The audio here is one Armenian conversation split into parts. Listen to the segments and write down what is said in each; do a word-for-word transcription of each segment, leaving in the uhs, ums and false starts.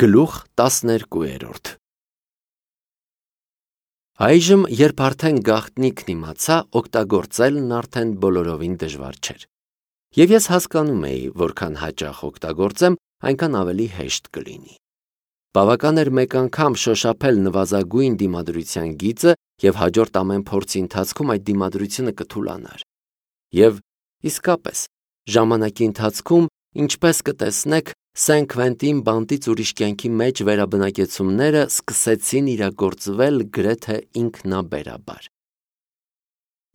Գլուխ տասներկու։ Այժմ, երբ արդեն գաղտնիքն իմացա, օգտագործելն արդեն բոլորովին դժվար չէր։ Եվ ես հասկանում էի, որքան հաճախ օգտագործեմ, այնքան ավելի հեշտ կլինի։ Բավական էր մեկ անգամ շոշափել նվազագույն դիմադրության գիծը և հաջորդ ամեն փորձի ընթացքում այդ դիմադրությունը կթուլանար։ Եվ իսկապես, ժամանակի ընթացքում, ինչպես կտեսնեք, Սեն Քվենտին բանտից ուրիշ կյանքի մեջ վերաբնակեցումները սկսեցին իրագործվել գրեթե ինքնաբերաբար։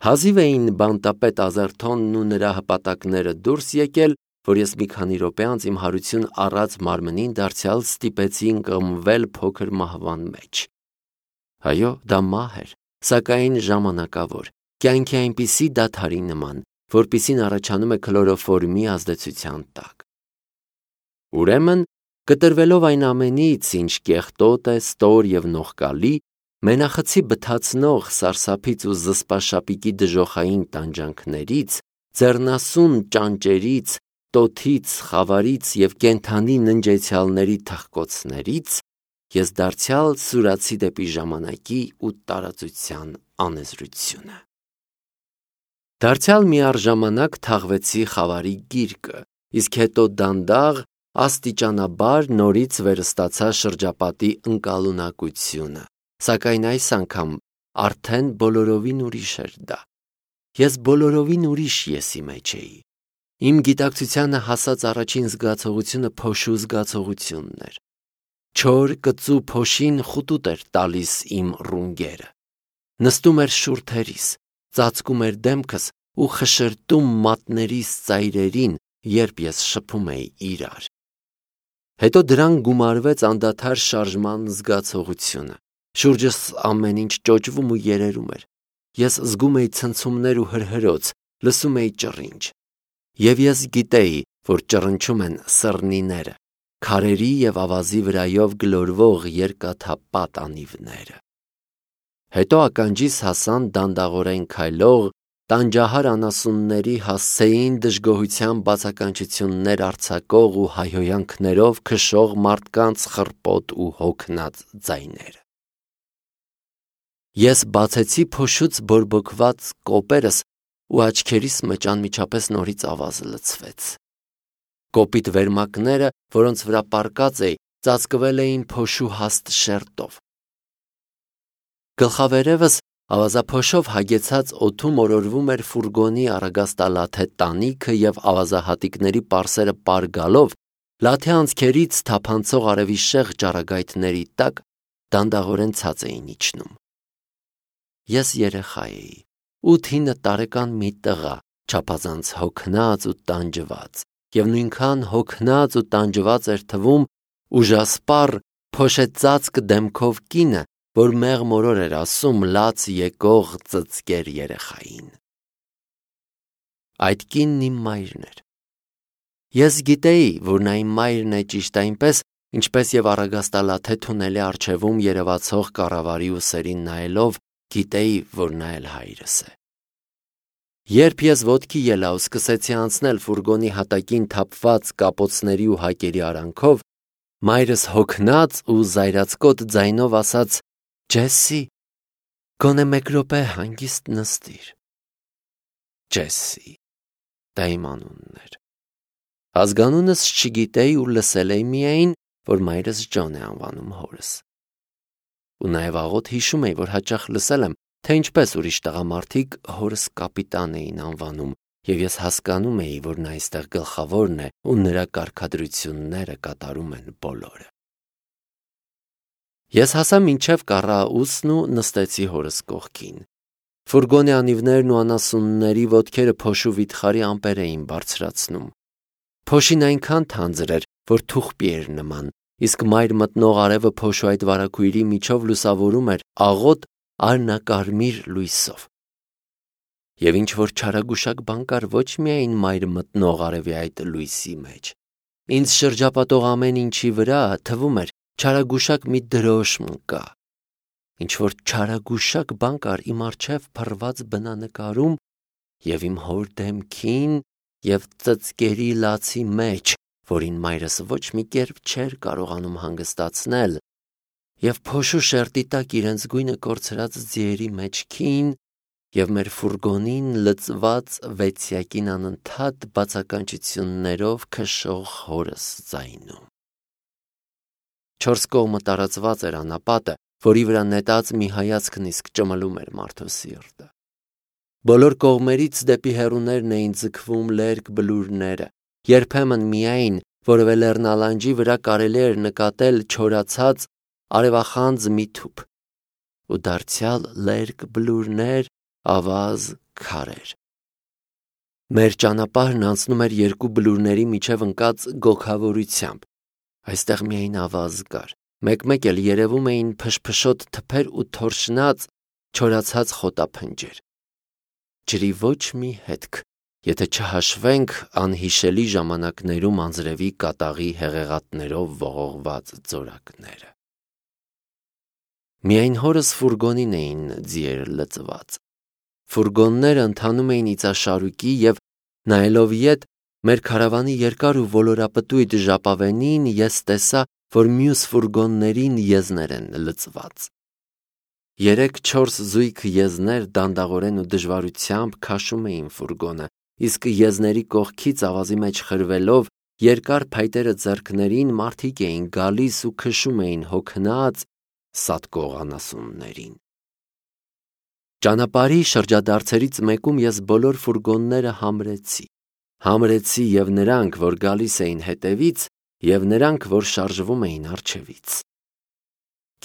Հազիվ էին բանտապետ Ազերթոնն ու նրա հպատակները դուրս եկել, որ ես մի քանի րոպե անց իմ հարություն առած մարմնին դարձյալ ստիպեցի ընկղմվել փոքր մահվան մեջ։ Այո, դա մահ էր, սակայն ժամանակավոր, կյանքի այնպիսի դադարի նման, որպիսին առաջանում է քլորոֆորմի ազդեցության տակ։ Ուրեմն, կտրվելով այն ամենից, ինչ կեղտոտ է, ստոր և նողկալի, մենախցի բթացնող սարսափից ու զսպաշապիկի դժոխային տանջանքներից, ձեռնասուն ճանճերից, տոթից, խավարից և կենդանի ննջեցյալների թխկոցներից, ես դարձյալ սուրացի դեպի ժամանակի ու տարածության անեզրությունը։ Դարձյալ միառժամանակ թաղվեցի խավարի գիրկը, իսկ հետո դանդաղ, աստիճանաբար նորից վերստացա շրջապատի ընկալունակությունը, սակայն այս անգամ արդեն բոլորովին ուրիշ էր դա։ Ես բոլորովին ուրիշ եսի մեջ էի։ Իմ գիտակցությանը հասած առաջին զգացողությունը փոշու զգացողությունն էր։ Չոր կծու փոշին խուտուտ էր տալիս իմ ռունգերը։ Նստում էր շուրթերիս, ծածկում էր դեմքս ու խշրտում մատներիս ծայրերին, երբ ես շփում էի իրար։ Հետո դրան գումարվեց անդադար շարժման զգացողությունը։ Շուրջս ամեն ինչ ճոճվում ու երերում էր։ Ես զգում էի ցնցումներ ու հրհրոց, լսում էի ճռինչ։ Եվ ես գիտեի, որ ճռնչում են սռնիները, քարերի և ավազի վրայով գլորվող երկաթապատ անիվները։ Հետո ականջիս հասան դանդաղորեն քայլող, տանջահար անասունների հասցեին դժգոհության բացականչություններ արձակող ու հայհոյանքներով քշող մարդկանց խռպոտ ու հոգնած ձայները։ Ես բացեցի փոշուց բորբոքված կոպերս ու աչքերիս մեջ անմիջապես նորից ավազը լցվեց։ Կոպիտ վերմակները, որոնց վրա պառկած էի, ծածկվել էին փոշու հաստ շերտով։ Գլխավերևս ավազափոշով հագեցած օդում օրորվում էր ֆուրգոնի առագաստալաթե տանիքը և ավազահատիկների պարսերը պար գալով, լաթե անցքերից թափանցող արևի շեղ ճառագայթների տակ դանդաղորեն ցած էին իջնում։ Ես երեխա էի, ութ-ինը տարեկան մի տղա, չափազանց հոգնած ու տանջված, և նույնքան հոգնած ու տանջված էր թվում ուժասպառ, փոշեծածկ դեմքով կինը, որ մեղմորոր էր ասում լաց եկող ծծկեր երեխային։ Այդ կինն իմ մայրն էր։ Ես գիտեի, որ նա իմ մայրն է ճիշտ այնպես, ինչպես և առագաստալաթե թունելի առջևում երևացող կառավարի ուսերին նայելով, գիտեի, որ նա էլ հայրս է։ Երբ ես ոտքի ելա ու սկսեցի անցնել ֆուրգոնի հատակին թափված կապոցների ու հակերի արանքով, մայրս հոգնած ու զայրացկոտ ձայնով ասաց. «Ջեսսի, գոնե մեկ րոպե հանգիստ նստիր»։ Ջեսսի, դա իմ անունն էր։ Ազգանունս չգիտեի ու լսել էի միայն, որ մայրս Ջոն է անվանում հորս։ Ու նաև աղոտ հիշում էի, որ հաճախ լսել եմ, թե ինչպես ուրիշ տղամարդիկ հորս կապիտան էին անվանում, և ես հասկանում էի, որ նա այստեղ գլխավորն է ու նրա կարգադրությունները կատարում են բոլորը։ Ես հասա մինչև կառաուսն ու նստեցի հորս կողքին։ Ֆուրգոնի անիվներն ու անասունների ոտքերը փոշու վիթխարի ամպեր էին բարձրացնում։ Փոշին այնքան թանձր էր, որ թուղպի էր նման, իսկ մայր մտնող արևը փոշու այդ վարագույրի միջով լուսավորում էր աղոտ արնակարմիր լույսով։ Եվ ինչ-որ չարագուշակ բան կար ոչ միայն մայր մտնող արևի այդ լույսի մեջ։ Ինձ շրջապատող ամեն ինչի վրա, թվում էր, չարագուշակ մի դրոշմ կա։ Ինչ-որ չարագուշակ բան կար իմ առջև փռված բնանկարում և իմ հոր դեմքին և ծծկերի լացի մեջ, որին մայրս ոչ մի կերպ չէր կարողանում հանգստացնել, և փոշու շերտի տակ իրենց գույնը կորցրած ձիերի մեջքին և մեր ֆուրգոնին լծված վեցյակին անընդհատ բացականչություններով քշող հորս ձայնում։ Չորս կողմը տարածված էր անապատը, որի վրա նետած մի հայացքն իսկ ճմլում էր մարդու սիրտը։ Բոլոր կողմերից դեպի հեռուներն էին ձգվում լերկ բլուրները, երբեմն միայն որևէ լեռնալանջի վրա կարելի էր նկատել չորացած արևախանձ մի թուփ, ու դարձյալ լերկ բլուրներ, ավազ, քարեր։ Մեր ճանապարհն անցնում էր երկու բլուրների միջև ընկած գոգավորությամբ, այստեղ միայն ավազ կար, մեկ-մեկ էլ երևում էին փշփշոտ թփեր ու թորշնած, չորացած խոտափնջեր։ Ջրի ոչ մի հետք, եթե չհաշվենք անհիշելի ժամանակներում անձրևի կատաղի հեղեղատներով ողողված ձորակները։ Միայն հորս ֆուրգոնին էին ձիերը լծված։ Ֆուրգոնները ընթանում էին իծաշարուկի և, նայելով ետ, մեր քարավանի երկար ու ոլորապտույտ ժապավենին, ես տեսա, որ մյուս ֆուրգոններին եզներ են լծված։ Երեք-չորս զույգ եզներ դանդաղորեն ու դժվարությամբ քաշում էին ֆուրգոնը, իսկ եզների կողքից ավազի մեջ խրվելով, երկար փայտերը ձեռքներին մարդիկ էին գալիս ու քշում էին հոգնած սատկող անասուններին։ Ճանապարհի շրջադարձերից մեկում ես բոլոր ֆուրգոնները համրեցի։ Համրեցի և նրանք, որ գալիս էին հետևից, և նրանք, որ շարժվում էին առջևից։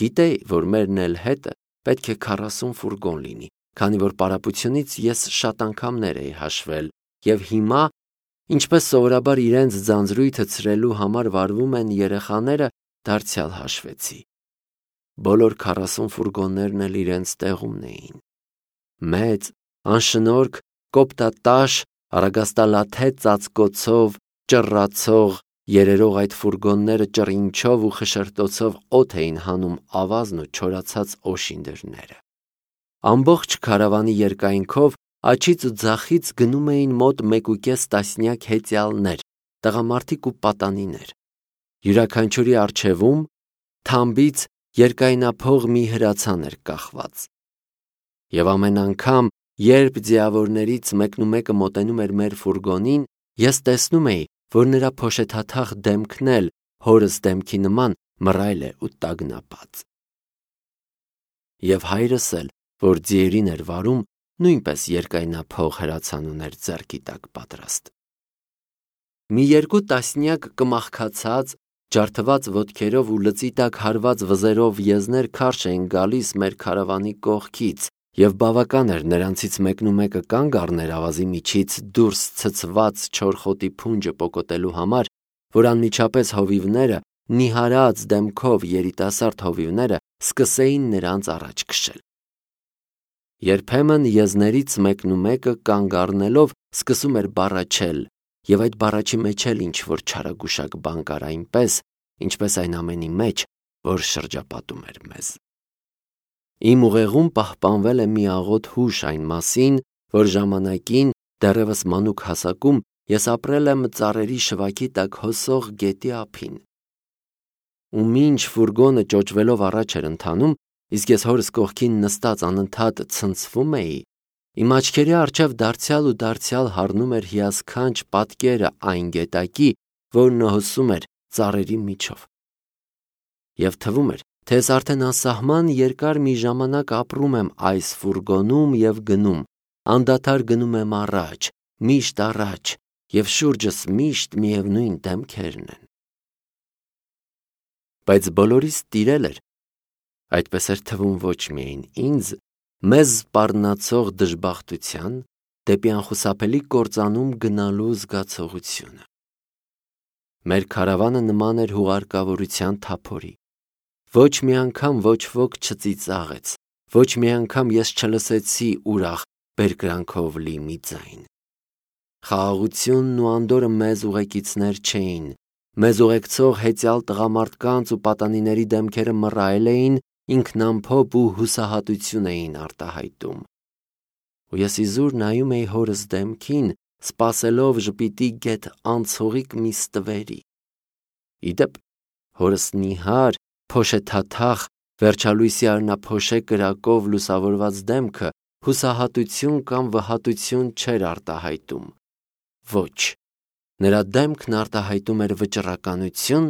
Գիտեի, որ մերն էլ հետը պետք է քառասուն ֆուրգոն լինի, քանի որ պարապությունից ես շատ անգամներ էի հաշվել, և հիմա, ինչպես սովորաբար իրենց ձանձրույթը ցրելու համար վարվում են երեխաները, դարձյալ հաշվեցի։ Բոլոր քառասուն ֆուրգոններն էլ իրենց տեղումն էին։ Մեծ, անշնորհք, կոպտատաշ, առագաստալաթե ծածկոցով, ճռռացող, երերող այդ ֆուրգոնները ճռինչով ու խշրտոցով օդ էին հանում ավազն ու չորացած օշինդրները։ Ամբողջ քարավանի երկայնքով աջից ու ձախից գնում էին մոտ մեկուկես տասնյակ հեծյալներ, տղամարդիկ ու պատանիներ։ Յուրաքանչյուրի առջևում թամբից երկայնափող մի հրացան էր կախված։ Եվ ամեն անգամ, երբ ձիավորներից մեկնումեկը մոտենում էր մեր ֆուրգոնին, ես տեսնում էի, որ նրա փոշեթաթախ դեմքն էլ հորս դեմքի նման մռայլ է ու տագնապած։ Եվ հայրս էլ, որ ձիերին էր վարում, նույնպես երկայնափող հրացան ուներ ձեռքի տակ պատրաստ։ Մի երկու տասնյակ կմախքացած, ջարդված ոտքերով ու լծի տակ հարված վզերով եզներ քարշ էին գալիս մեր քարավանի կողքից, և բավական էր նրանցից մեկնումեկը կանգ առներ ավազի միջից դուրս ցցված չոր խոտի փունջը պոկոտելու համար, որ անմիջապես հովիվները, նիհարած դեմքով երիտասարդ հովիվները սկսեին նրանց առաջ քշել։ Երբեմն եզներից մեկնումեկը կանգ առնելով սկսում էր բառաչել, և այդ բառաչի մեջ էլ ինչ-որ չարագուշակ բան կար այնպես, ինչպես այն ամենի մեջ, որ շրջապատում էր մեզ։ Իմ ուղեղում պահպանվել է մի աղոտ հուշ այն մասին, որ ժամանակին, դեռևս մանուկ հասակում, ես ապրել եմ ծառերի շվաքի տակ հոսող գետի ափին։ Ու մինչ ֆուրգոնը ճոճվելով առաջ էր ընթանում, իսկ ես հորս կողքին նստած անընդհատ ցնցվում էի, իմ աչքերի առջև դարձյալ ու դարձյալ հառնում էր հիասքանչ պատկերը այն գետակի, որն հոսում էր ծառերի միջով։ Եվ թվում էր, թե ես արդեն անսահման երկար մի ժամանակ ապրում եմ այս ֆուրգոնում և գնում, անդադար գնում եմ առաջ, միշտ առաջ, և շուրջս միշտ միևնույն դեմքերն են։ Բայց բոլորիս տիրել էր, այդպես էր թվում ոչ միայն ինձ, մեզ սպառնացող դժբախտության, դեպի անխուսափելի կործանում գնալու զգացողությունը։ Մեր քարավանը նման էր հուղարկավորության թափորի։ Ոչ մի անգամ ոչ ոք չծիծաղեց, ոչ մի անգամ ես չլսեցի ուրախ բերկրանքով լի մի ձայն։ Խաղաղությունն ու անդորրը մեզ ուղեկիցներ չէին, մեզ ուղեկցող հեծյալ տղամարդկանց ու պատանիների դեմքերը մռայլ էին, ինքնամփոփ ու հուսահատություն էին արտահայտում։ Ու ես իզուր նայում էի հորս դեմքին, սպասելով ժպիտի գեթ անցողիկ մի ստվերի, Իդեպ, հորս նիհար, փոշեթաթախ, վերջալույսի արնափոշե կրակով լուսավորված դեմքը հուսահատություն կամ վհատություն չէր արտահայտում։ Ոչ, նրա դեմքն արտահայտում էր վճռականություն,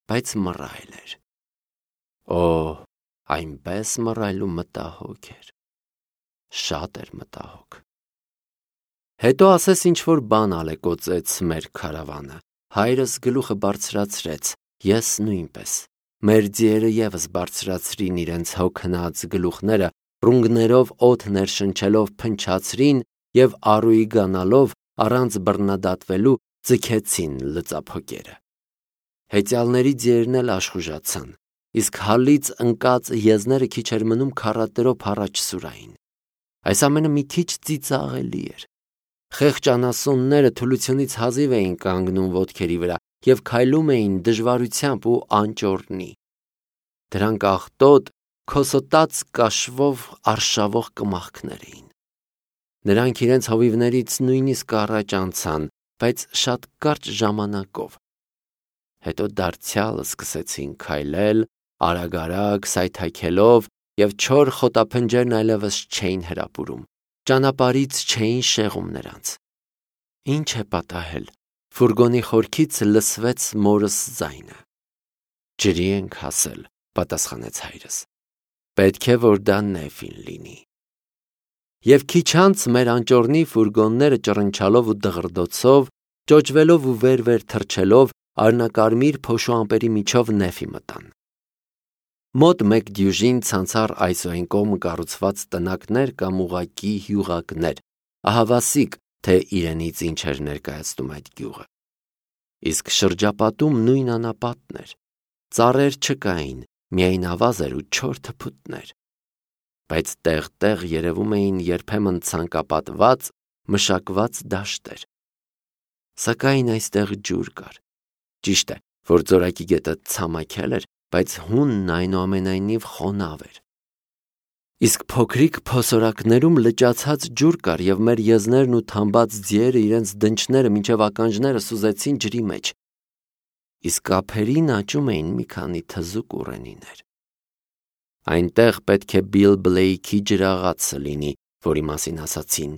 բայց մռայլ էր։ Օ, այնպես մռայլ ու մտահոգ էր։ Շատ էր մտահոգ։ Հետո ասես ինչ-որ բան ալեկոծեց մեր քարավանը։ Հայրս գլուխը բարձրացրեց, ես նույնպես։ Մեր ձիերը ևս բարձրացրին իրենց հոգնած գլուխները, ռունգներով օդ ներշնչելով փնչացրին և առուի գանալով առանց բռնադատվելու ձգեցին լծափոկերը։ Հեծյալների ձիերն էլ աշխուժացան, իսկ հալից ընկած եզները քիչ էր մնում քառատերով առաջ սուրային։ Այս ամենը մի քիչ ծիծաղելի էր։ Խեղճ անասունները թուլությունից հազիվ էին կանգնում ոտքերի վրա և քայլում էին դժվարությամբ ու անճոռնի։ Դրանք աղտոտ, քոսոտած կաշվով արշավող կմախքներ էին։ Նրանք իրենց հովիվներից նույնիսկ առաջ անցան, բայց շատ կարճ ժամանակով։ Հետո դարձյալ սկսեցին քայլել, արագ-արագ սայթաքելով, և չոր խոտափնջերն այլևս չէին հրապուրում, ճանապարհից չէին շեղում նրանց։ Ինչ է պատահել, ֆուրգոնի խորքից լսվեց մորս ձայնը։ Ջրի ենք հասել, պատասխանեց հայրս։ Պետք է, որ դա Նեֆին լինի։ Եվ քիչ անց մեր անճոռնի ֆուրգոնները ճռնչալով ու դղրդոցով, ճոճվելով ու վեր-վեր թռչելով արնակարմիր փոշու ամպերի միջով Նեֆի մտան։ Մոտ մեկ դյուժին ցանցառ այս ու այն կողմը կառուցված տնակներ կամ ուղղակի հյուղակներ, ահավասիկ, թե իրենից ինչ էր ներկայացնում այդ գյուղը։ Իսկ շրջապատում նույն անապատն էր։ Ծառեր չկային, միայն ավազեր ու չոր թփուտներ։ Բայց տեղ-տեղ երևում էին երբեմն ցանկապատված, մշակված դաշտեր։ Սակայն այստեղ ջուր կար։ Ճիշտ է, որ Ձորակի գետը ցամաքել էր, բայց հունն այնուամենայնիվ խոնավ էր։ Իսկ փոքրիկ փոսորակներում լճացած ջուր կար, և մեր եզներն ու թամբած ձիերը իրենց դնչները մինչև ականջները սուզեցին ջրի մեջ։ Իսկ ափերին աճում էին մի քանի թզուկ ուռենիներ։ Այնտեղ պետք է Բիլ Բլեյքի ջրաղացը լինի, որի մասին ասացին,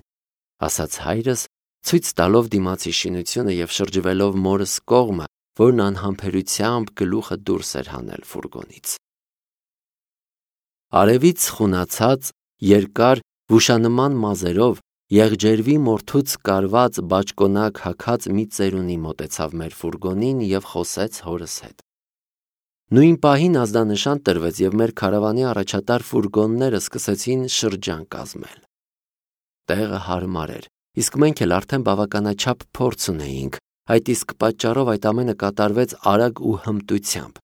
ասաց հայրս, ցույց տալով դիմացի շինությունը և շրջվելով մորս կողմը, որն անհամբերությամբ գլուխը դուրս էր հանել ֆուրգոնից։ Արևից խունացած, երկար, վուշանման մազերով, եղջերվի մորթուց կարված բաճկոնակ հագած մի ծերունի մոտեցավ մեր ֆուրգոնին և խոսեց հորս հետ։ Նույն պահին ազդանշան տրվեց, և մեր քարավանի առաջատար ֆուրգոնները սկսեցին շրջան կազմել։ Տեղը հարմար էր, իսկ մենք էլ արդեն բավականաչափ փորձ ունեինք, այդ իսկ պատճառով այդ ամենը կատարվեց արագ ու հմտությամբ։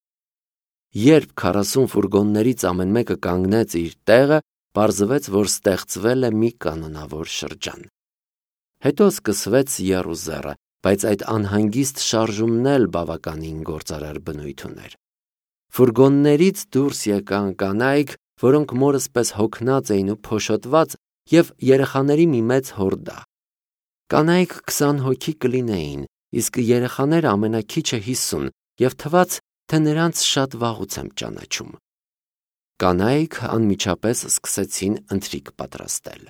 Երբ քառասուն ֆուրգոններից ամեն մեկը կանգնեց իր տեղը, պարզվեց, որ ստեղծվել է մի կանոնավոր շրջան։ Հետո սկսվեց եռուզեռը, բայց այդ անհանգիստ շարժումն էլ բավականին գործարար բնույթ ուներ։ Ֆուրգոններից դուրս եկան կանայք, որոնք մորս պես հոգնած էին ու փոշոտված, և երեխաների մի մեծ հորդա։ Կանայք քսան հոգի կլինեին, իսկ երեխաները ամենաքիչը հիսուն, և թվաց, թե նրանց շատ վաղուց եմ ճանաչում։ Կանայք անմիջապես սկսեցին ընթրիք պատրաստել։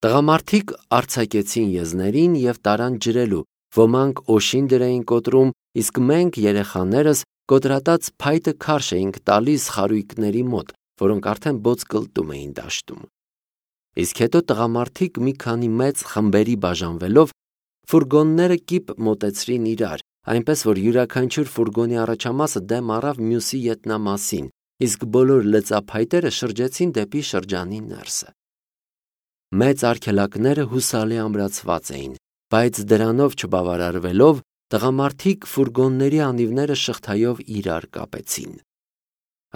Տղամարդիկ արձակեցին եզներին և տարան ջրելու, ոմանք օշին դր էին կոտրում, իսկ մենք, երեխաներս, կոտրատած փայտը քարշ էինք տալիս խարույկների մոտ, որոնք արդեն բոծկլտում էին դաշտում։ Իսկ հետո տղամարդիկ մի քանի մեծ խմբերի բաժանվելով, ֆուրգոնները կիպ մոտեցրին իրար, այնպես որ յուրաքանչյուր ֆուրգոնի առաջամասը դեմ առավ մյուսի ետնամասին, իսկ բոլոր լծափայտերը շրջեցին դեպի շրջանի ներսը։ Մեծ արգելակները հուսալի ամրացված էին, բայց դրանով չբավարարվելով, տղամարդիկ ֆուրգոնների անիվները շղթայով իրար կապեցին։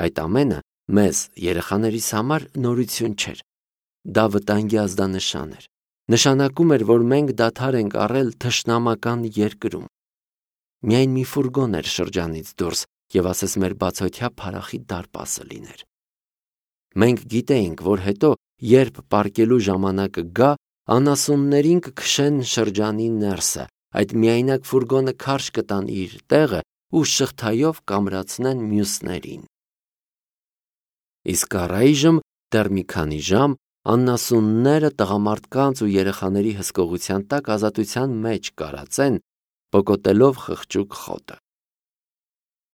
Այդ ամենը մեզ, երեխաներիս համար նորություն չէր։ Դա վտանգի ազդանշան էր։ Նշանակում էր, որ մենք դադար ենք առել թշնամական երկրում։ Միայն մի ֆուրգոն էր շրջանից դուրս, և ասես մեր բացօթյա փարախի դարպասը լիներ։ Մենք գիտեինք, որ հետո, երբ պառկելու ժամանակը գա, անասուններին կքշեն շրջանի ներսը, այդ միայնակ ֆուրգոնը քարշ կտան իր տեղը ու շղթայով կամրացնեն մյուսներին։ Իսկ առայժմ դեռ մի քանի ժամ աննասունները տղամարդկանց ու երեխաների հսկողության տակ ազատության մեջ կարածեն, պոկոտելով խղճուկ խոտը։